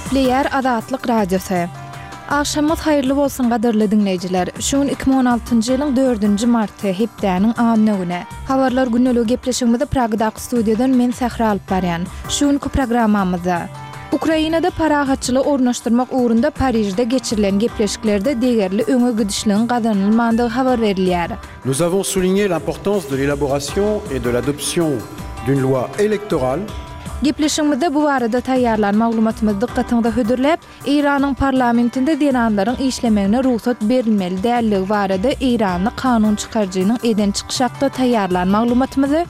Gepleýär Azatlyk Radiosy. Agşamyňyz haýyrly bolsun gadyrly diňleýjiler. Şu gün 2016-njy ýylyň dördünji marty, hepdäniň anna güni. Habarlar gündeligi gepleşigimizi Pragadaky studiýadan men Sähra alyp barýan. Şu günki programmamyzda. Ukrainada parahatçylygy ornaşdyrmak ugrunda Parižde geçirilen gepleşiklerde degerli öňe gidişligiň gazanylmandygy habar berilýär. Nous avons souligné l'importance de l'élaboration et de l'adoption d'une loi électorale, Gepleşigimizde bu barada taýýarlan maglumatymyzy dykgatyňyza hödürläp, Eýranyň parlamentinde zenanlaryň işlemegine rugsat berilmeli dälligi barada eýranly kanun çykaryjynyň eden çykyşy hakda taýýarlan maglumatymyzy,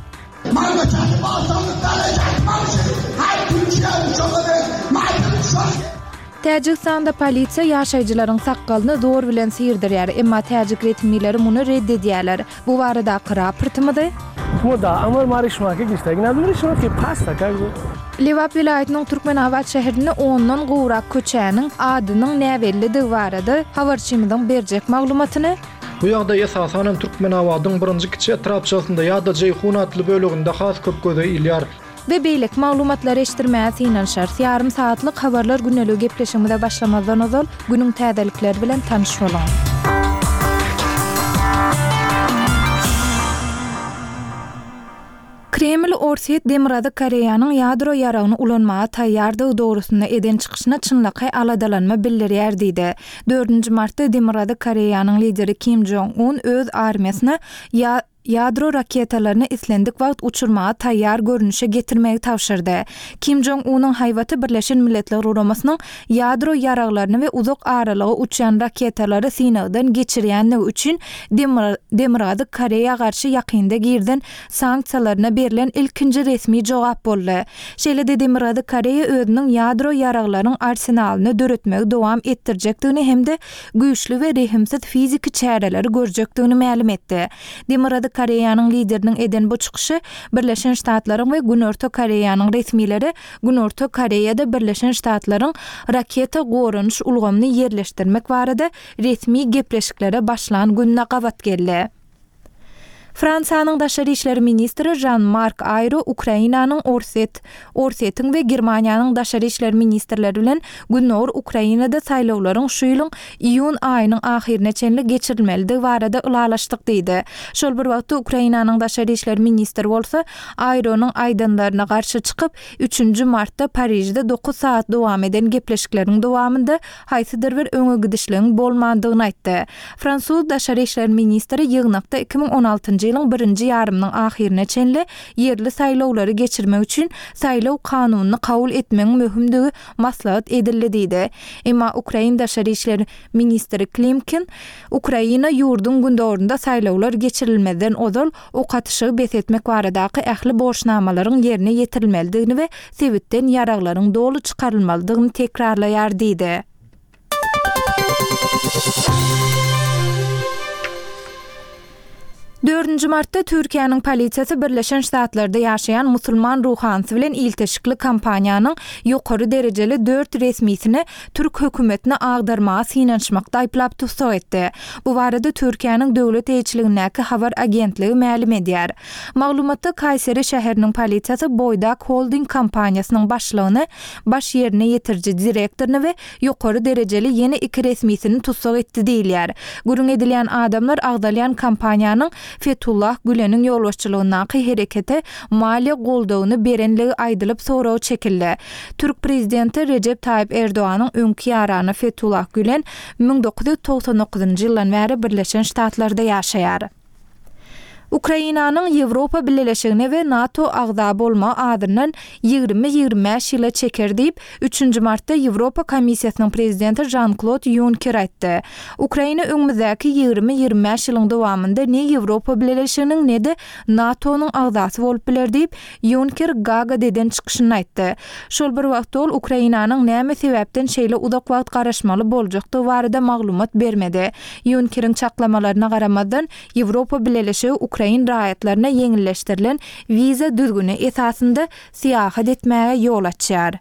Täjigistanda polisiýa ýaşaýjylaryň sakgalyny zor bilen syrdyrýar, emma täjik resmileri muny red edýärler. Bu baradaky raportymyzy. Lebap welaýatynyň Türkmenabat şäherinde ondan gowrak köçäniň adynyň näbellidigi barada habarçymyzyň berjek maglumatyny. Bu ýagdaý esasan hem Türkmenabadyň birinji kiçi etrapçasynda ýa-da Jeýhun atly böleginde has köp göze ilýär. We beýleki maglumatlary eşitdirmäge synanyşarys. Ýarym sagatlyk Habarlar gündeligi gepleşigimize başlamazdan ozal, günüň täzelikleri bilen tanyş boluň. Kreml Orsýet Demirgazyk Koreýanyň ýadro ýaragyny ulanmaga taýýardygy dogrusynda eden çykyşyna çynlakaý aladalanma bildirýär diýdi. Dördünji martda Demirgazyk Koreýanyň lideri Kim Jong Un öz armiýasyna ýa ýadro raketalaryny islendik wagt uçurmaga taýýar görnüşe getirmegi tabşyrdy. Kim Jong Unyň haýbaty Birleşen Milletler Guramasynyň ýadro ýaraglaryny we uzak aralyga uçýan raketalary synagdan geçirýänligi üçin Demirgazyk Koreýa garşy ýakynda girizen sanksiýalaryna berlen ilkinji resmi jogap boldy. Şeýle-de Demirgazyk Koreýa özüniň ýadro ýaraglaryň arsenalyny döretmegi dowam etdirjekdigini hem-de güýçli we rehimsiz fiziki çäreleri görjekdigini mälim etdi. Demirgazyk Koreýanyň lideriniň eden bu çykyşy Birleşen Ştatlaryň we Günorta Koreýanyň resmileri Günorta Koreýada Birleşen Ştatlaryň raketa goranyş ulgamyny ýerleşdirmek barada resmi gepleşiklere başlan gününe gabat geldi. Fransiýanyň daşary işler ministri Žan-Mark Aýro Ukrainanyň Orsýet, Orsýetiň we Germaniýanyň daşary işler ministrleri bilen gündogar Ukrainada saýlawlaryň şu ýylyň iýun aýynyň ahyryna çenli geçirilmelidigi barada ylalaşdyk diýdi. Şol bir wagtda Ukrainanyň daşary işler ministri bolsa Aýronyň aýdanlaryna garşy çykyp, üçünji martda Parižde dokuz sagat dowam eden gepleşikleriň dowamynda haýsydyr bir öňe gidişligiň bolmandygyny aýtdy. Fransuz daşary işler ministri ýygnakda 2016-njy ýylyň birinji ýarymynyň ahyryna çenli ýerli saýlawlary geçirmek üçin saýlaw kanunyny kabul etmegiň möhümdigi maslahat edildi diýdi. Emma ukrain daşary işler ministri Klimkin Ukraina ýurduň gündogarynda saýlawlar geçirilmezden ozal ok atyşygy bes etmek baradaky ähli borçnamalaryň ýerine ýetirilmelidigini we sebitden ýaraglaryň doly çykarylmalydygyny tekrarlaýar diýdi. Dördünji martda Türkiýäniň polisiýasy Birleşen Ştatlarda ýaşaýan musulman ruhanysy bilen ilteşikli kompaniýanyň ýokary derejeli dört resmisini türk hökümetine agdarmaga synanyşmakda aýyplap tussag etdi. Bu barada Türkiýäniň döwlet eýeçiligindäki habar agentligi mälim edýär. Maglumatda Kaýseri şäheriniň polisiýasy Boýdak Holding kompaniýasynyň başlygyny, baş ýerine ýetiriji direktoryny we ýokary derejeli ýene iki resmisini tussag etdi diýilýär. Gürrüň edilýän adamlar agzalýan kompaniýanyň Fethullah Güleniň ýolbaşçylygyndaky herekete maliýe goldawyny berenligi aýdylyp soraga çekildi. Türk prezidenti Rejep Taýyp Erdoganyň öňki ýarany Fethullah Gülen 1999-njy ýyldan bäri Birleşen Ştatlarda ýaşaýar. Ukrainanyň Ýewropa Bileleşigine we NATO agza bolmagy azyndan 20-25 ýyla çeker diýip, üçünji martda Ýewropa Komissiýasynyň prezidenti Žan-Klod Ýunker aýtdy. Ukraina öňümizdäki 20-25 ýylyň dowamynda ne Ýewropa Bileleşiginiň, ne-de NATO-nyň agzasy bolup biler diýip, Ýunker Gagada eden çykyşynda aýtdy. Şol bir wagtda ol Ukrainanyň näme sebäpden şeýle uzak wagt garaşmaly boljakdygy barada maglumat bermedi. Ýunkeriň çaklamalaryna garamazdan, Ýewropa Bileleşigi ukrain raýatlaryna ýeňilleşdirilen wiza düzgüni esasynda syýahat etmäge ýol açýar.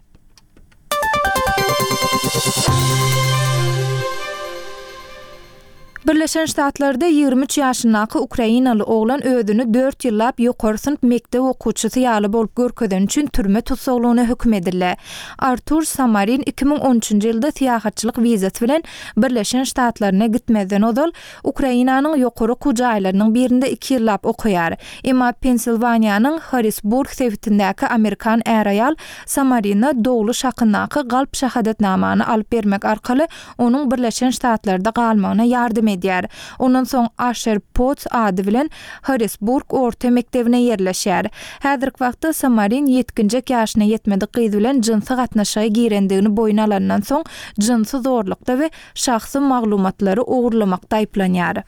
Birleşen Ştatlarda 23 ýaşyndaky ukrainaly oglan özüni dört ýyllap ýokary synp mekdep okuwçysy ýaly bolup görkezeni üçin türme tussaglygyna höküm edildi. Artur Samarin 2013-nji ýylda syýahatçylyk wizasy bilen Birleşen Ştatlaryna gitmezden ozal, Ukrainanyň ýokary okuw jaýlarynyň birinde iki ýyllap okaýar. Emma Pensilwaniýanyň Harrisburg sebitindäki amerikan är-aýal Samarina dogluş hakyndaky galp şahadatnamany alyp bermek arkaly onuň Birleşen Ştatlarda galmagyna ýardam edýär. Ondan soň Aşer Potts ady bilen Harrisburg orta mekdebine ýerleşýär. Häzirki wagtda Samarin ýetginjek ýaşyna ýetmedik gyz bilen jynsy gatnaşyga girendigini boýun alandan soň jynsy zorlukda we şahsy maglumatlary ogurlamakda aýyplanýar.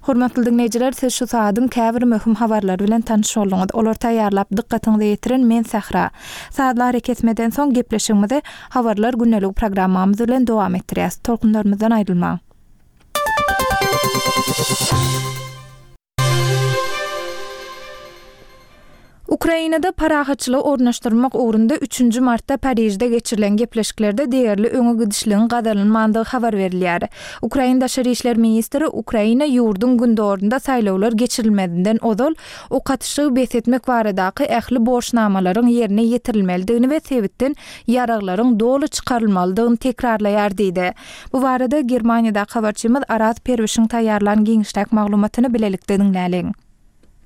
Hormatly diňleýjiler, siz şu sagadyň käbir möhüm habarlary bilen tanyş bolduňyz. Olary taýýarlap dykgatyňyza ýetiren men Sähra. Sazly arakesmeden soň gepleşigimizi Habarlar gündeligi programmamyz bilen dowam etdirýäs. Tolkunlarymyzdan aýrylmaň. Ukrainada parahatçylygy ornaşdyrmak ugrunda üçünji martda Parižde geçirilen gepleşiklerde degerli öňe gidişligiň gazanylmandygy habar berilýär. Ukrain daşary işler ministri Ukraina ýurduň gündogarynda saýlawlar geçirilmezinden ozal ok atyşygy bes etmek baradaky ähli borçnamalaryň ýerine ýetirilmelidigini we sebitden ýaraglaryň doly çykarylmalydygyny tekrarlaýar diýdi. Bu barada Germaniýadaky habarçymyz Araz Perwişiň taýýarlan giňişräk maglumatyny bilelikde diňläliň.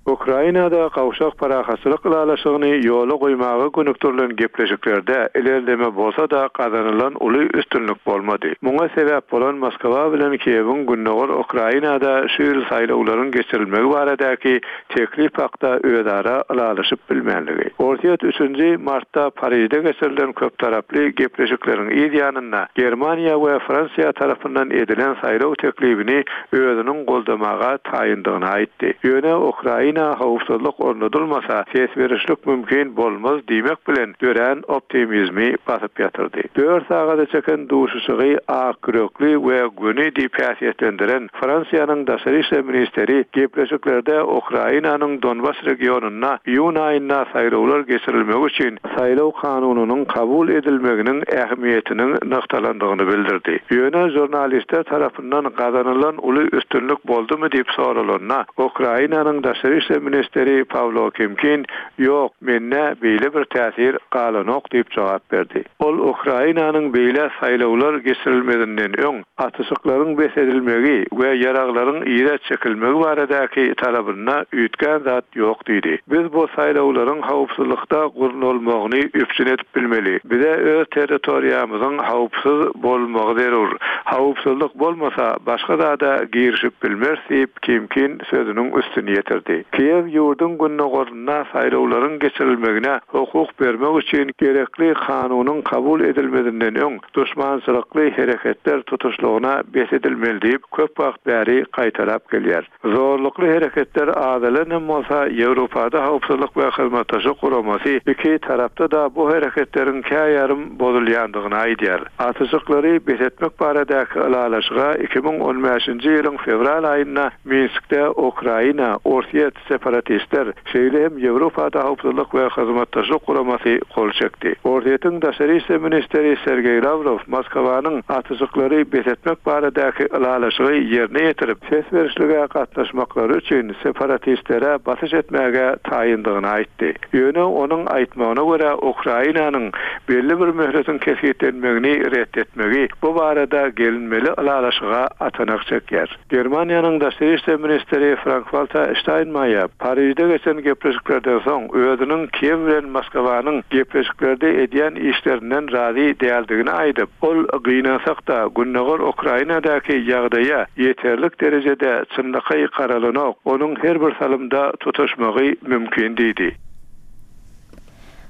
Ukrainada gowşak parahatçylyk ylalaşygyny ýola goýmaga gönükdirilen gepleşiklerde ilerleme bolsa-da, gazanylan uly üstünlik bolmady. Muňa sebäp bolan Moskwa bilen Kiýewiň gündogar Ukrainada şu ýyl saýlawlaryň geçirilmegi baradaky teklip hakda özara ylalaşyp bilmänligi. Orsýet üçünji martda Parižde geçirilen köptaraply gepleşikleriň yz ýanynda Germaniýa we Fransiýa tarapyndan edilen saýlaw teklibini özüniň goldamaga taýyndygyny aýtdy. Ýöne Ukraina howpsuzlyk ornadylmasa, ses berişlik mümkin bolmaz diýmek bilen dörän optimizmi basyp ýatyrdy. Dört sagada çeken duşuşygy akýürekli we göni diýip häsiýetlendiren Fransiýanyň daşary işler ministeri gepleşiklerde Ukrainanyň Donbas regionynda iýun aýynda saýlawlar geçirilmegi üçin saýlaw kanunynyň kabul edilmeginiň ähmiýetiniň nygtalandygyny bildirdi. Ýöne žurnalistler tarapyndan gazanylan uly üstünlik boldumy diýip soralanda, Ukrainanyň daşary işler ministeri Pawlo Kimkin, Ýok, mende beýle bir täsir galanok diýip jogap berdi. Ol Ukrainanyň beýle saýlawlar geçirilmezinden öň atyşyklaryň bes edilmegi we ýaraglaryň yza çekilmegi baradaky talabynda üýtgän zat ýok diýdi. Biz bu saýlawlaryň howpsuzlykda gurnalmagyny üpjün edip bilmeli. Bize öz territoriýamyzyň howpsuz bolmagy zerur. Howpsuzlyk bolmasa, başga zada girişip bilmeris diýip, Kimkin sözüniň üstüni ýetirdi. Kiýew ýurduň gündogarynda saýlawlaryň geçirilmegine hukuk bermek üçin gerekli kanunyň kabul edilmezinden öň duşmançylykly hereketler tutuşlygyna bes edilmeli diýip, köp wagt bäri gaýtalap gelýär. Zorlukly hereketler azalan hem bolsa, Ýewropada Howpsuzlyk we Hyzmatdaşlyk Guramasy iki tarapda-da bu hereketleriň käýarym bozulýandygyny aýdýar. Atyşyklary bes etmek baradaky ylalaşyga 2015-nji ýylyň fewral aýynda Minskde Ukraina, Orsýet, separatistler, şeýle hem Ýewropada Howpsuzlyk we Hyzmatdaşlyk Guramasy gol çekdi. Orsýetiň daşary işler ministri Sergeý Lawrow Moskwanyň atyşyklary bes etmek baradaky ylalaşygy ýerine ýetirip, ses berişlige gatnaşmaklary üçin separatistlere basyş etmäge taýyndygyny aýtdy. Ýöne onuň aýtmagyna görä, Ukrainanyň belli bir möhletiň kesgitlenmegini ret etmegi bu barada gelinmeli ylalaşyga atanak çekýär. Germaniýanyň daşary işler ministri Frank-Walter Ştaýnmaýer Parižde geçen gepleşiklerden soň özüniň Kiýew bilen Moskwanyň gepleşiklerde edýän işlerinden razy däldigini aýdyp, ol gynansak-da, gündogar Ukrainadaky ýagdaýa ýeterlik derejede çynlakaý garalanok, onuň her bir salymda tutaşmagy mümkin diýdi.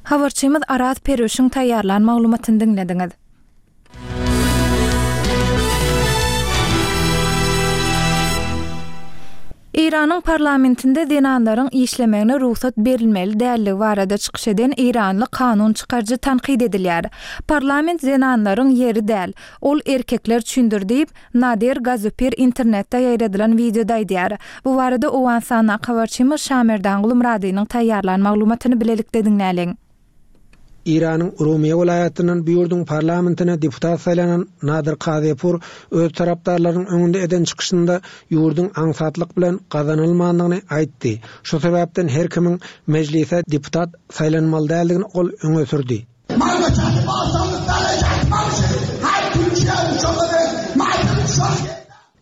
Habarçymyz Araz Perwişiň taýýarlan maglumatyny diňlediňiz. Eýranyň parlamentinde zenanlaryň işlemegine rugsat berilmeli däldigi barada çykyş eden eýranly kanun çykaryjy tankyt edilýär. Parlament zenanlaryň ýeri däl, ol erkekler üçindir diýip, Nader Gazupir internetde ýaýradylan wideoda aýdýar. Bu barada Owganystandaky habarçymyz Şamerdan Gulmyradynyň taýýarlan maglumatyny bilelikde diňläliň. Eýranyň Urumiýe welaýatyndan bu ýurduň parlamentine deputat saýlanan Nadir Kazepur öz tarapdarlarynyň öňünde eden çykyşynda ýurduň aňsatlyk bilen gazanylmandygyny aýtdy. Şu sebäpden her kimiň mejlise deputat saýlanmaly däldigini ol öňe sürdi.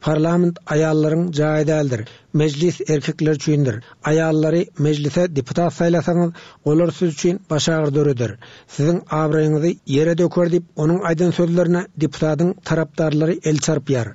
Parlament aýallaryň jaýy däldir. Mejlis erkekler üçindir. Aýallary mejlise deputat saýlasaňyz, olar siz üçin başagyry döreder. Siziň abraýyňyzy ýere döker diýip, onuň aýdan sözlerine deputatyň tarapdarlary el çarpýar.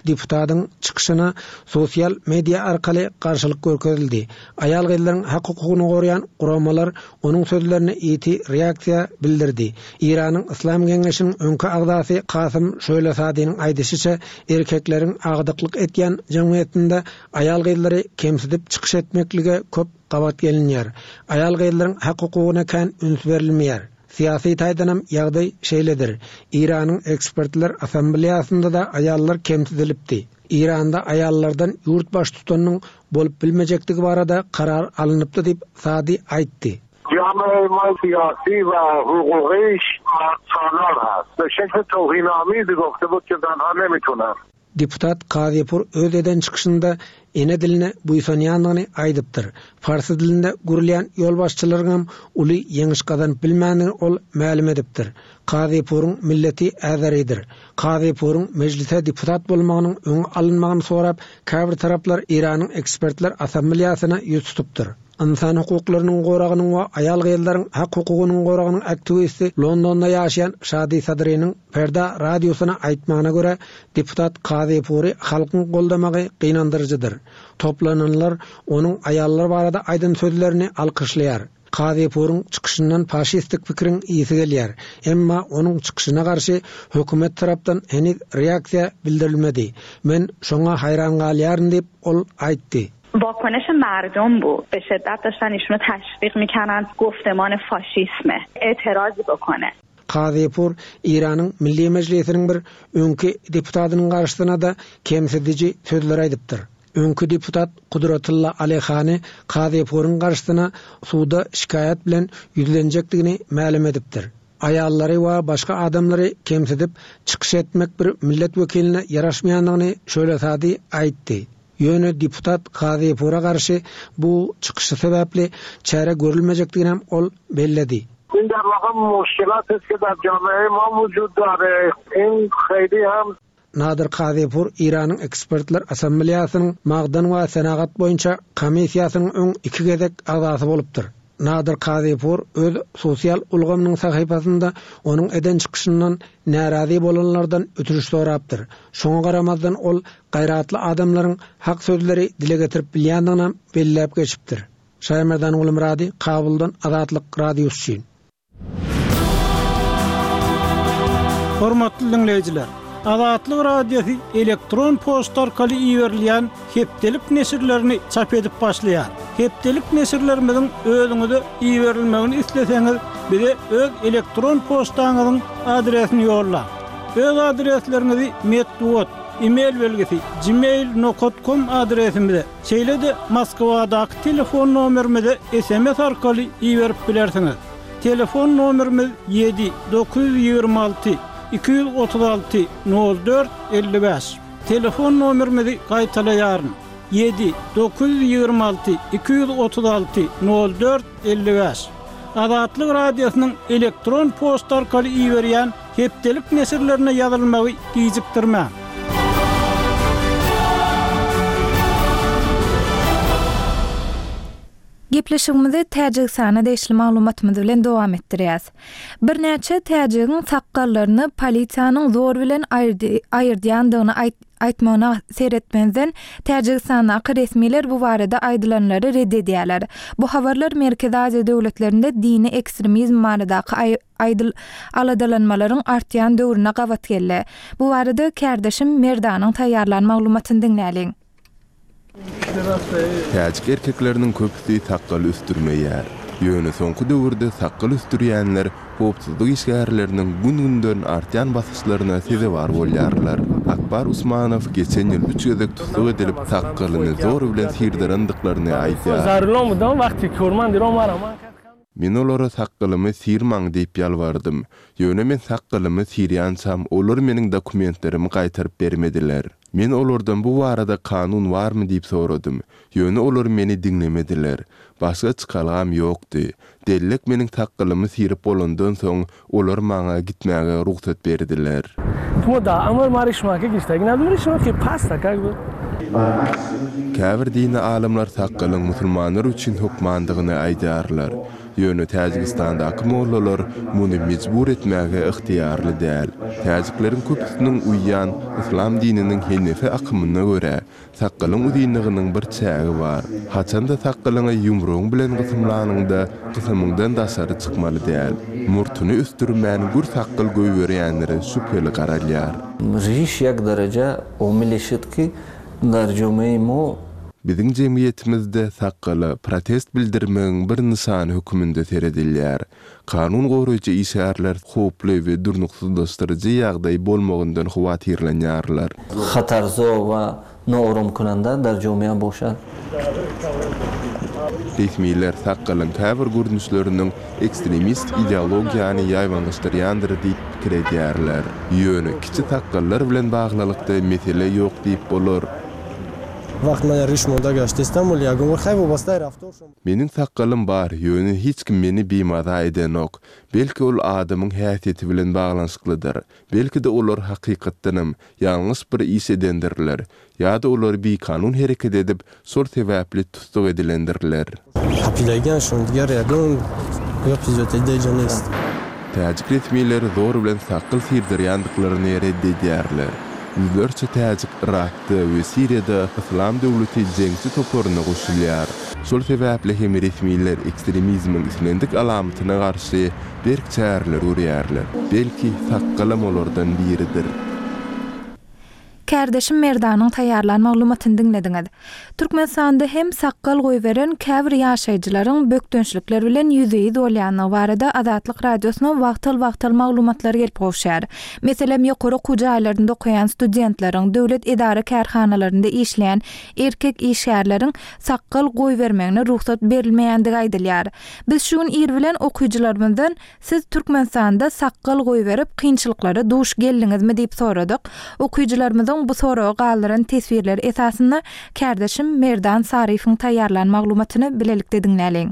Deputatyň çykyşyna sosial media arkaly garşylyk görkezildi. Aýal-gyzlaryň hak-hukugyny goraýan guramalar onuň sözlerine ýiti reaksiýa bildirdi. Eýranyň Yslam geňeşiniň öňki agzasy Kasym Şölesadiniň aýdyşyça, erkekleriň agdyklyk etýän jemgyýetinde aýal-gyzlary kemsidip çykyş etmeklige köp gabat gelinýär. Aýal-gyzlaryň hak-hukugyna kän üns berilmeýär. Syýasy taýdanam ýagdaý şeýledir. Eýranyň Ekspertler Assambleýasynda-da aýallar kemsidilipdi. Eýranda aýallardan ýurt baştutanynyň bolup bilmejekdigi barada karar alnypdy diýip, Sadi aýtdy. Jamae ma syýasy we hukuky mardsalar hast. Be şekl towhinamizi gofte bud ke zanha nemitunan. Deputat Kazypur öz eden çykyşynda ene diline buýsanýandygyny aýdypdyr. Parsy dilinde gürleýän ýolbaşçylaryňam uly ýeňiş gazanyp bilmändigini ol mälim edipdir. Kazypuryň milleti äzeridir. Kazypuryň mejlise deputat bolmagynyň öňi alynmagyny sorap, käbir taraplar Eýranyň Ekspertler Assambleýasyna ýüz tutupdyr. Ynsan hukuklarynyň goragynyň we aýal-gyzlaryň hak-hukugynyň goragynyň aktiwisti Londonda ýaşaýan Şadi Sadriniň Ferda radiosyna aýtmagyna görä, deputat Kazypury halkyň goldamagy gynandyryjydyr. Toplananlar onuň aýallar barada aýdan sözlerini alkyşlaýar. Kazypuryň çykyşyndan faşistik pikiriň ysy gelýär. Emma onuň çykyşyna garşy hökümet tarapdan heniz reaksiýa bildirilmedi. Men şoňa haýran galýaryn diýip, ol aýtdy. واکنش مردم بود به شدت داشتن ایشونو تشویق میکردن گفتمان فاشیسمه اعتراضی بکنه. Kazypur Eýranyň Milli Mejlisiniň bir öňki deputatynyň garşysyna-da kemsidiji sözler aýdypdyr. Öňki deputat Kudratylla Alihani Kazypuryň garşysyna suda şikaýat bilen ýüzlenjekdigini mälim edipdir. Aýallary we başga adamlary kemsidip çykyş etmek bir millet wekiline ýaraşmaýandygyny Şöhlesadi aýtdy. Ýöne deputat Kazypura garşy bu çykyşy sebäpli çäre görülmejekdiginem ol belledi. In der waga muşkilat est ke dar jamee ma wujud dare in xeyli ham. Nadir Kazypur Eýranyň Ekspertler Assambleýasynyň Magdan we senagat boýunça komissiýasynyň öň iki gezek agzasy bolupdyr. Nadir Kazypur öz sosial ulgamynyň sahypasynda onuň eden çykyşyndan närazy bolanlardan ötünç sorapdyr. Şoňa garamazdan ol gaýratly adamlaryň hak sözleri dile getirip bilýändiginem belläp geçipdir. Şaýmerdan Gulmyrady, Kabuldan Azatlyk Radiosy üçin. Hormatly diňleýjiler! Azatlyk Radiosy elektron poçta arkaly iberilýän hepdelik neşirlerini çap edip başlaýar. Hepdelik neşirlerimiziň özüňize iberilmegini isleseňiz, bize öz elektron poçtaňyzyň adresini ýollaň. Öz adresleriňizi metbugat, e-mail belgisi, gmail nokat kom adresimize, şeýle-de Moskwadaky telefon nomerimize sms arkaly iberip bilersiňiz. Telefon nomerimiz ýedi, 926 236 04 55. Telefon nomerimizi gaýtalaýaryn, ýedi, 926 236 04 55. Azatlyk Radiosynyň elektron poçta arkaly iberýän Hepdelik neşirlerine ýazylmagy gijikdirmäň. Gepleşigimizi Täjigistana degişli maglumatymyz bilen dowam etdirýäs. Birnäçe täjigiň sakgallaryny polisiýanyň zor bilen aýyrdýandygyny aýtmagyna seretmezden, Täjigistandaky resmiler bu barada aýdylanlary red edýärler. Bu habarlar Merkezi Aziýa döwletlerinde dini ekstremizm baradaky aýdyl aladalanmalaryň artýan döwrüne gabat geldi. Bu barada kärdeşim Merdanyň taýýarlan maglumatyny diňläliň. Täjik erkekleriniň köpüsi sakgal ösdürmeýär. Ýöne soňky döwürde sakgal ösdürýänler howpsuzlyk işgärleriniň gün-günden artýan basyşlaryna sezewar bolýarlar. Akbar Usmanow geçen ýyl üç gezek tussag edilip, sakgalyny zor bilen syrdyrandyklaryny aýdýar. Men olara sakgalymy syrmaň diýip ýalbardym. Ýöne men sakgalymy syrýançam, olar meniň dokumentlerimi gaýtaryp bermediler. Men olardan bu barada kanun barmy diýip soradym. Ýöne olar meni diňlemediler. Başga çykalgam ýokdy. Dellek meniň sakgalymy syryp bolandan soň, olar maňa gitmäge rugsat berdiler. Käbir dini alymlar sakgalyň musulmanlar üçin hökmandygyny aýdýarlar. Ýöne Täjigistandaky mollalar muny mejbur etmäge ygtyýarly däl. Täjikleriň köpüsiniň uýýan yslam dininiň henefi akymyna görä, sakgalyň uzynlygynyň bir çägi bar. Haçan-da sakgalyňy ýumrugyň bilen gysymlanyňda, gysymyňdan daşary çykmaly däl. Murtuny ösdürmän gür sakgal goýberýänlere şübheli garalýar. Riş ýek dereje omil eşitki dar jomeýi mo. Biziň jemgyýetimizde sakgala protest bildirmegiň bir nyşany höküminde seredilýär. Kanun goraýjy işgärler howply we durnuksyzlaşdyryjy ýagdaý bolmagyndan howatyrlanýarlar. Hatarzo we nooromkunanda dar jomea boşad. Resmiler sakgalyň käbir görnüşleriniň ekstremist ideologiýany ýaýbaňlaşdyrýandyr diýip pikir edýärler. Ýöne kiçi sakgallar bilen baglylykda mesele ýok diýip bolar. Meniň sakgalym bar, ýöne hiç kim meni bimaza edenok. Belki ol adamyň häsiýeti bilen baglanyşyklydyr. Belki-de olar hakykatdanam ýalňyş bir iş edendirler. Ýa-da olar bikanun hereket edip, şol sebäpli tussag edilendirler. Täjik resmileri zor bilen sakgal syrdyrýandyklaryny ret edýärler. Ýüzlerçe täjik Yrakda we Siriýada Yslam döwleti jeňçi toparyna goşulýar. Şol sebäpli hem resmiler ekstremizmiň islendik alamatyna garşy berk çäreler görýärler. Belki, sakgalam olardan biridir. Kärdeşim Merdanyň taýýarlan maglumatyny diňlediňiz. Türkmenistanda hem sakgal goýberen käbir ýaşaýjylaryň bökdençlikler bilen ýüzbe-ýüz bolýandygy barada Azatlyk Radiosyna wagtal-wagtal maglumatlar gelip gowşýar. Meselem, ýokary okuw jaýlarynda okaýan studentleriň, döwlet edara-kärhanalarynda işleýän erkek işgärleriň sakgal goýbermegine rugsat berilmeýändigi aýdylýar. Biz şu gün ir bilen okyjylarymyzdan Siz Türkmenistanda sakgal goýberip kynçylyklara duş geldiňizmi diýip soradyk. Okyjylarymyzyň bu soraga galdyran teswirleri esasynda kärdeşim Merdan Saryýewiň taýýarlan maglumatyny bilelikde diňläliň.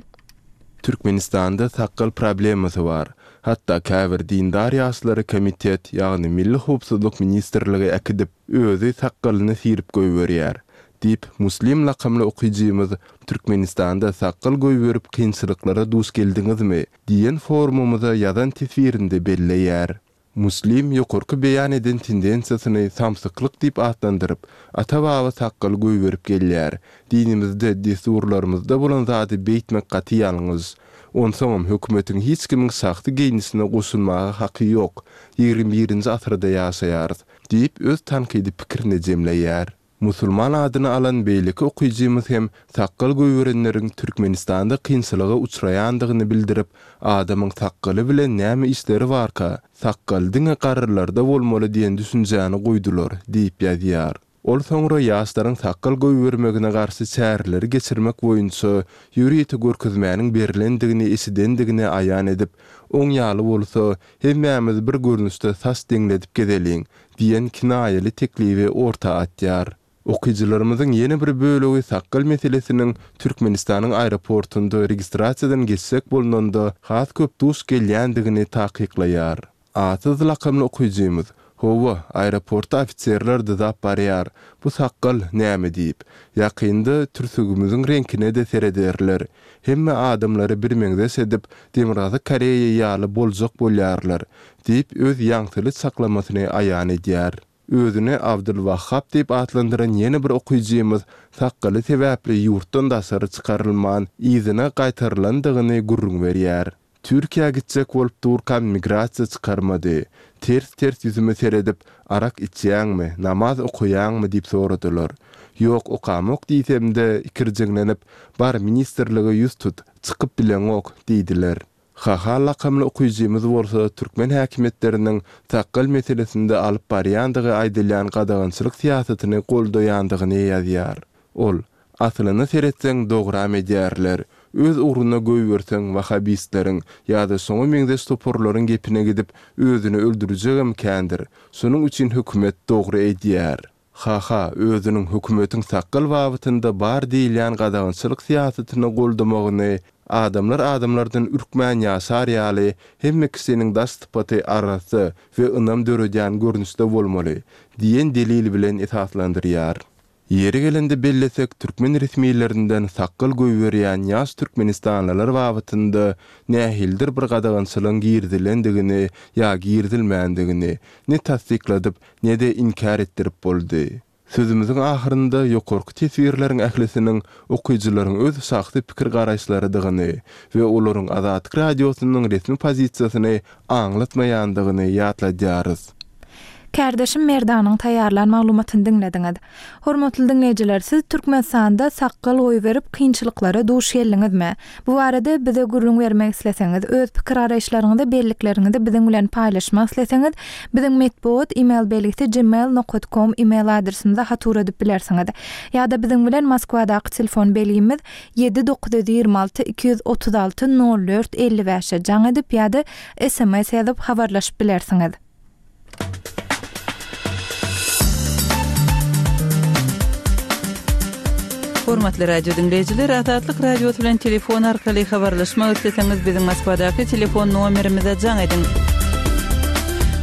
Türkmenistanda sakgal problemasy bar. Hatda käbir dindar ýaşlary komitet, ýagny Milli howpsuzlyk ministrligi äkidip, özi sakgalyny syryp goýberýär. Diýip, Muslim lakamly okyjymyz Türkmenistanda sakgal goýberip kynçylyklara duş geldiňizmi? Diýen forumymyza ýazan teswirinde belleýär. Muslim ýokarky beýan eden tendensiýasyny samsyklyk diýip atlandyryp, ata-baba sakgal goýberip gelýär. Dinimizde, dessurlarymyzda bolan zady beýtmek gaty ýalňyş. Onsoňam hökümetiň hiç kimiň şahsy geýnişine goşulmaga haky ýok. Ýigrimi birinji asyrda ýaşaýarys. Diýip, öz tankydy pikirini jemleýär. Musulman adyny alan beýleki okyjymyz hem sakgal goýberenleriň Türkmenistanda kynçylyga uçraýandygyny bildirip, adamyň sakgaly bilen näme işleri barka, sakgal diňe garrylarda bolmaly diýen düşünjäni goýdular diýip ýazýar. Ol soňra ýaşlaryň sakgal goýbermegine garşy çäreleri geçirmek boýunça ýörite görkezmäniň berlendigini eşidendigini aýan edip, Oň ýaly bolsa, hemmämiz bir görnüşde saç deňledip gezeliň, Diýen kinaýaly teklibi orta atýar. Okyjylarymyzyň ýene bir bölegi sakgal meselesiniň Türkmenistanyň aeroportunda registrasiýadan geçjek bolnanda has köp duş gelýändigini takyklaýar. Atsyz lakamly okyjymyz, Hawa, aeroportda ofiserler dyzap barýar, bu sakgal näme diýip. Ýakynda türsügimiziň reňkine-de serederler. Hemme adamlary birmeňzeş edip, Demirgazyk Koreýa ýaly boljak bolýarlar. Diýip, öz ýaňsyly çaklamasyny aýan edýär. Özüni Abdylwahhap diýip atlandyran ýene bir okyjymyz sakgaly sebäpli ýurtdan daşary çykarylman, yzyna gaýtarylandygyny gürrüň berýär. Türkiýä gitjek bolup durkam migrasiýa çykarmady. Ters-ters ýüzüme seredip, arak içýäňmi, namaz okaýaňmy diýip soradylar. Ýok, okamok diýsem-de, ikirjiňlenip, bar ministrlige ýüz tut, Çykyp bileňok diýdiler. Haha lakamly okyjymyz bolsa türkmen häkimiýetleriniň sakgal meselesinde alyp barýandygy aýdylýan gadagançylyk syýasatyny goldaýandygyny ýazýar. Ol, Asylyna seretseň dogram edýärler. Öz ugruna goýberseň wahabistleriň ýa-da şoňa meňzeş toparlaryň gepine gidip özüni öldürjegem kändir. Şonuň üçin hökümet dogry edýär. Haha, özüniň hökümetiň sakgal babatynda bar diýilýän gadagançylyk syýasatyny goldamagyny, adamlar adamlardan ürkmän ýaşar ýaly, hemme kişiniň daş sypaty arassa we ynam döredýän görnüşde bolmaly diýen delil bilen esaslandyrýar. Ýeri gelende bellesek, türkmen resmilerinden sakgal goýberýän ýaş türkmenistanlylar babatynda nähilidir bir gadagançylygyň girizilendigini ýa girizilmändigini ne tassykladyp, ne-de inkär etdirip boldy. Sözümiziň ahyrynda ýokarky teswirleriň ählisiniň okyjylaryň öz şahsy pikir-garaýyşlarydygyny we olaryň Azatlyk Radiosynyň resmi pozisiýasyny aňlatmaýandygyny ýatladýarys. Kärdeşim Merdanyň taýýarlan maglumatyny diňlediňiz. Hormatly diňleýjiler, siz Türkmenistanda sakgal goýberip kynçylyklara duş geldiňizmi? Bu barada bize gürrüň bermek isleseňiz, öz pikir-garaýyşlaryňyzy, bellikleriňizi biziň bilen paýlaşmak isleseňiz, biziň metbugat email belgisi gmail nokat kom email adresimize hat ugradyp bilersiňiz. Ýa-da biziň bilen Moskwadaky telefon belgimiz ýedi 926 236 04 55-e jaň edip ýa-da sms ýazyp habarlaşyp bilersiňiz. Hormatly radio diňleýjiler, Azatlyk Radiosy bilen telefon arkaly habarlaşmak isleseňiz, biziň Moskwadaky telefon nomerimize jaň ediň.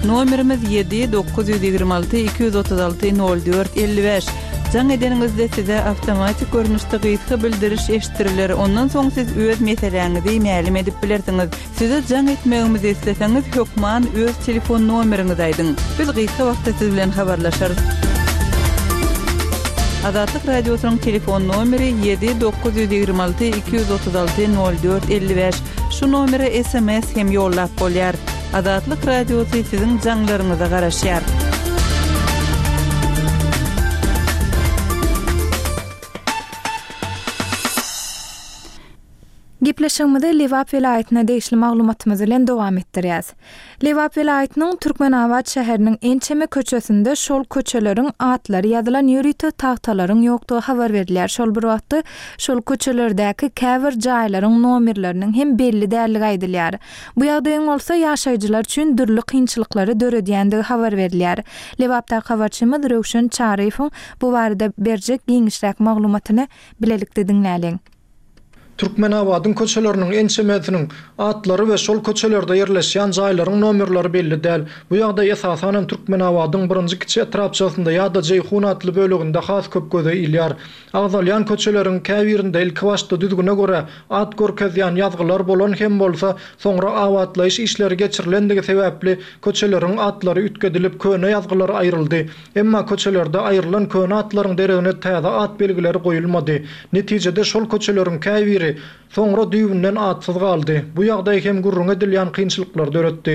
Nomerimiz 7 926 236 04 55. Jaň edeniňizde size awtomatik görnüşde gysga bildiriş eşitdiriler, ondan soň siz öz meseläňizi mälim edip bilersiňiz. Size jaň etmegimizi isleseňiz hökman öz telefon nomeriňizi aýdyň. Biz gysga wagtda siz bilen habarlaşarys. Azatlyk Radiosynyň telefon nomeri ýedi 926 236 04 55. Şu nomere sms hem ýollap bolýar. Azatlyk Radiosy siziň jaňlaryňyza garaşýar. Gepleşigimizi Lebap welaýatyna degişli maglumatymyz bilen dowam etdirýäs. Lebap welaýatynyň Türkmenabat şäheriniň ençeme köçesinde şol köçeleriň atlary ýazylan ýörite tagtalaryň ýokdugy habar berilýär. Şol bir wagtda, şol köçelerdäki käbir jaýlaryň nomerleriniň hem belli däldigi aýdylýar. Bu ýagdaýyň bolsa ýaşaýjylar üçin dürli kynçylyklary döredýändigi habar berilýär. Lebapdaky habarçymyz Röwşen Çaryýewiň bu barada berjek giňişräk maglumatyny bilelikde diňläliň. Türkmenabadyň köçeleriniň ençemesiniň atlary we şol köçelerde ýerleşýän jaýlaryň nomerleri belli däl. Bu ýagdaý esasanam Türkmenabadyň birinji kiçi etrapçasynda ýa-da Jeýhun atly böleginde has köp göze ilýär. Agzalýan köçeleriň käbirinde ilkibaşda düzgüne görä at görkezýän ýazgylar bolan hem bolsa, soňra abatlaýyş işleri geçirilendigi sebäpli köçeleriň atlary üýtgedilip köne ýazgylar aýryldy. Emma köçelerde aýrylan köne atlaryň deregine täze at belgileri goýulmady. Netijede şol köçeleriň käbiri soňra düýbünden atsyz galdy. Bu ýagdaý hem gürrüňi edilýän kynçylyklary döretdi.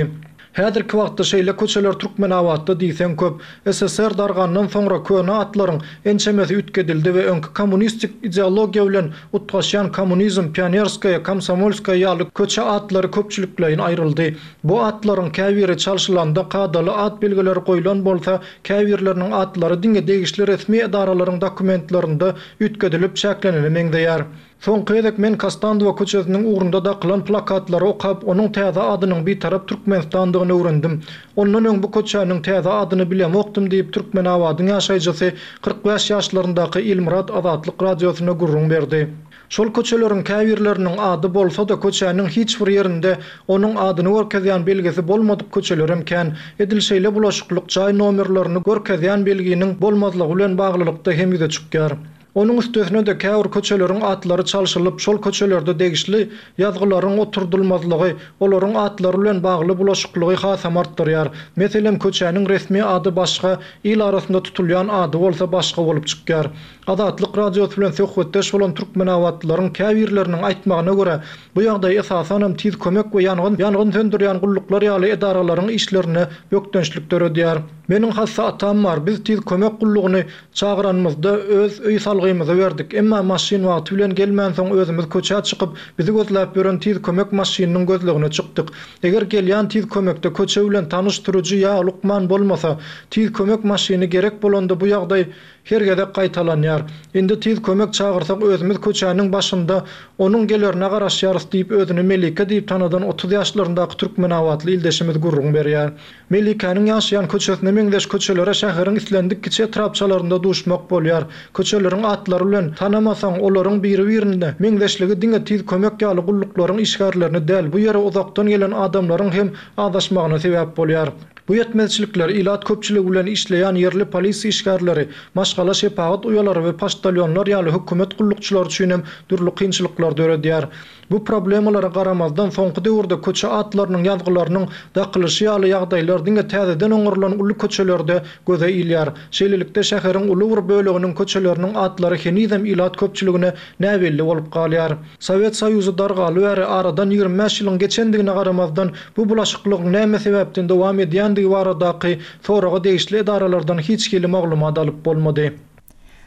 Häzirki wagtda şeýle köçeler Türkmenabatda diýseň köp. SSR dargandan soňra köne atlaryň ençemesi üýtgedildi we öňki kommunistik ideologiýa bilen utgaşýan Kommunizm, Pionerskaýa, Komsomolskaýa ýaly köçe atlary köpçülikleýin aýryldy. Bu atlaryň käbiri çalşylanda kadaly at belgileri goýlan bolsa, käbirleriniň atlary diňe degişli resmi edaralaryň dokumentlerinde üýtgedilip çäklenene meňzeýär. Soňky gezek men Kostandowa köçesiniň ugrunda dakylan plakatlary okap, onuň täze adynyň Bitarap Türkmenistandygyny öwrendim. Ondan öň bu köçäniň täze adyny bilemokdym diýip, Türkmenabadyň ýaşaýjysy, 45 ýaşlaryndaky Ilmyrat Azatlyk Radiosyna gürrüň berdi. Şol köçeleriň käbirleriniň ady bolsa-da köçäniň hiç bir ýerinde onuň adyny görkezýän belgisi bolmadyk köçelerem kän. Edil şeýle bulaşyklyk jaý nomerlerini görkezýän belginiň bolmazlygy bilen baglylykda hem ýüze çykýar. Onuň üstesine-de käbir köçeleriň atlary çalşylyp şol köçelerde degişli ýazgylaryň oturdylmazlygy olaryň atlary bilen bagly bulaşyklygy hasam artdyrýar. Meselem köçäniň resmi ady başga, il arasynda tutulýan ady bolsa başga bolup çykýar. Azatlyk Radiosy bilen söhbetdeş bolan türkmenabatlylaryň käbirleriniň aýtmagyna görä, bu ýagdaý esasanam tiz kömek we ýangyn ýangyn söndürýän gulluklar ýaly edaralaryň işlerinde bökdençlik döredýär. Meniň hassa atam bar, biz tiz kömek gullugyny çagyranymyzda öz öý salgymyzy berdik. Emma maşyn wagty bilen gelmänsoň özümiz köçä çykyp, bizi gözläp ýören tiz kömek maşynynyň gözlegine çykdyk. Eger gelýän tiz kömekde köçe bilen tanyş sürüji ýa lukman bolmasa, tiz kömek maşyny gerek bolanda bu ýagdaý her gezek gaýtalanýar. Indi tiz kömek çagyrsak özümiz köçäniň başynda onuň gelerine garaşýarys diýip özüni Melike diýip tanadan 30 ýaşlaryndaky türkmenabatly ildeşimiz gürrüň berýär. Melikäniň ýaşaýan köçesine meňzeş köçelere şäheriň islendik kiçi etrapçalarynda duşmak bolýar. Köçeleriň atlary bilen tanamasaň, olaryň biri-birine meňzeşligi diňe tiz kömek ýaly gulluklaryň işgärlerini däl, bu ýere uzakdan gelen adamlaryň hem azaşmagyna sebäp bolýar. Bu ýetmezçilikler ilat köpçüligi bilen işleýän ýerli polisiýa işgärleri, maşgala şepagat uýalary we poçtalýonlar ýaly hökümet gullukçylary üçin hem dürli kynçylyklar döredýär. Bu problemalara garamazdan, soňky döwürde köçe atlarynyň ýazgylarynyň dakylyşy ýaly ýagdaýlar diňe täzeden oňarylan uly köçelerde göze ilýär. Şeýlelikde, şäheriň uly bir böleginiň köçeleriniň atlary henizem ilat köpçüligine näbelli bolup galýar. Sowet Soýuzy dargaly bäri aradan 25 ýylyň geçendigine garamazdan, bu bulaşyklygyň näme sebäpden dowam edýändigi baradaky soraga degişli edaralardan hiç hili maglumat alyp bolmady.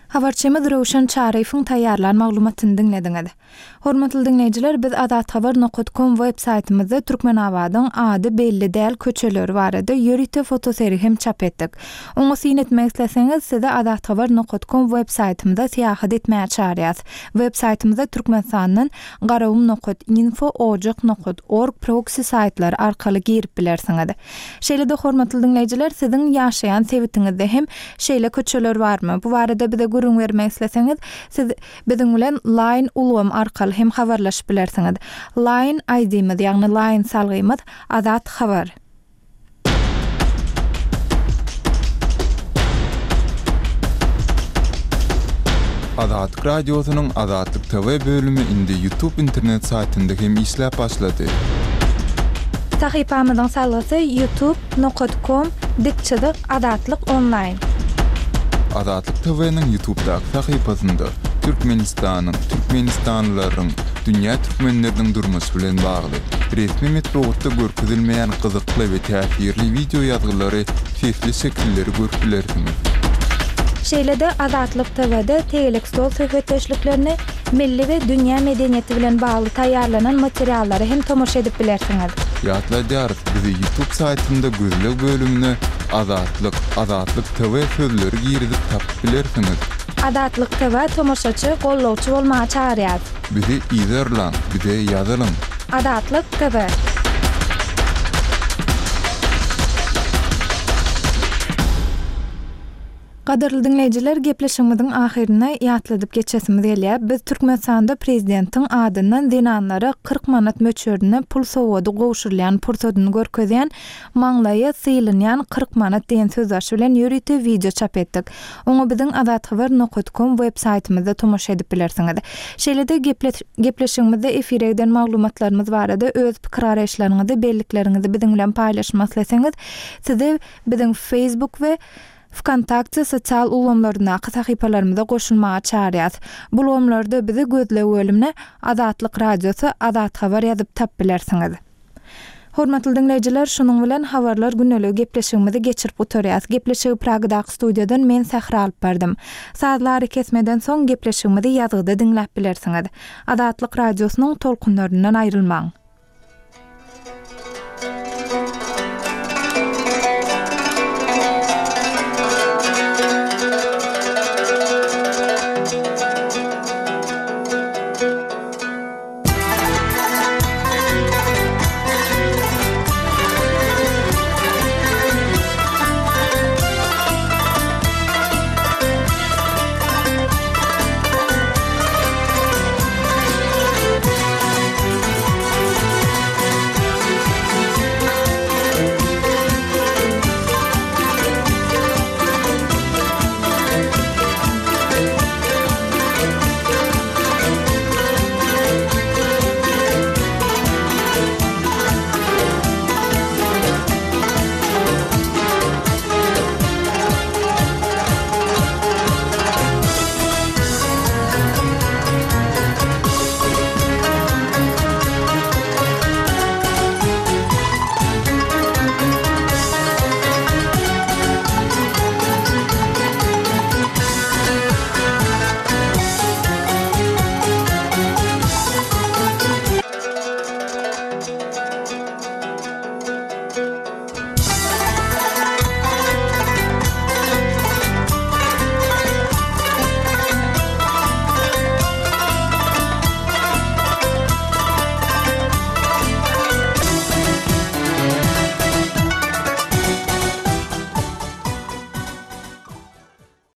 Habarçymyz Röwşen Çaryýewiň taýýarlan maglumatyny diňlediňiz. Hormatly diňleýjiler, biz azathabar nokat kom web saýtymyzda Türkmenabadyň ady belli däl köçeleri barada ýörite fotosergi hem çap etdik. Oňa syn etmek isleseňiz, sizi azathabar nokat kom web saýtymyza syýahat etmäge çagyrýas. Web saýtymyza Türkmenistandan garagum nokat info, ojak nokat org proksi saýtlary arkaly girip bilersiňiz. Şeýle-de hormatly diňleýjiler, siziň ýaşaýan sebitiňizde hem şeýle köçeler barmy? Bu barada bize gürrüň bermek isleseňiz, siz Biziň bilen Line ulgamy arkaly hem habarlaşyp bilersiňiz. Line ID-miz, ýagny Line salgymyz Azat Habar. Azatlyk Radiosynyň Azatlyk TV bölümi indi YouTube internet saýtynda hem işläp başlady. Sahypamyzyň salgysy youtube nokat kom dik çyzyk azatlyk onlaýn. Azatlyk TV-niň Ýutubdaky sahypasynda Türkmenistanyň, türkmenistanlylaryň, dünýä türkmenleriniň durmuşy bilen bagly, resmi metbugatda görkezilmeýän gyzykly we täsirli wideo ýazgylary, sesli şekilleri görüp bilersiňiz. Şeýle-de Azatlyk TV-de tegelek stol söhbetdeşliklerini, milli we dünýä medeniýeti bilen bagly taýýarlanan materiallara hem tomaşa edip bilersiňiz. Ýatladýarys, bizi Youtube saýtynda gözleg bölümine Azatlyk, Azatlyk TV sözleri girizip tapyp bilersiňiz. Azatlyk TV tomaşaçy, gollawçy bolmaga çagyrýar. Bizi yzarlaň, bize ýazylyň. Azatlyk TV. Gadyrly diňleýjiler, gepleşigimiziň ahyrynda ýatladyp geçesimiz gelýär, biz Türkmenistanda prezidentiň adyndan zenanlara 40 manat möçberinde pul sowgady gowşurylýan pursadyny görkezýän Maňlaýa sylynýan 40 manat diýen sözbaşy bilen ýörite wideo çap etdik. Oňa biziň azathabar nokat kom web saýtymyzda tomaşa edip bilersiňiz. Şeýle-de gepleşigimizde efire giden maglumatlarymyz barada öz pikir-garaýyşlaryňyzy, bellikleriňizi biziň bilen paýlaşmak isleseňiz, sizi biziň Facebook we Wkontakte sosial ulgamlaryndaky sahypalarymyza goşulmaga çagyrýas. Bu ulgamlarda bizi gözleg bölümine Azatlyk Radiosy, Azathabar ýazyp tap bilersiňiz. Hormatly diňleýjiler, şunuň bilen Habarlar gündeligi gepleşigimizi geçirip gutarýas. Gepleşigi Pragadaky studiýadan men Sähra alyp bardym. Sazly arakesmeden soň gepleşigimizi ýazgyda diňläp bilersiňiz. Azatlyk Radiosynyň tolkunlaryndan aýrylmaň!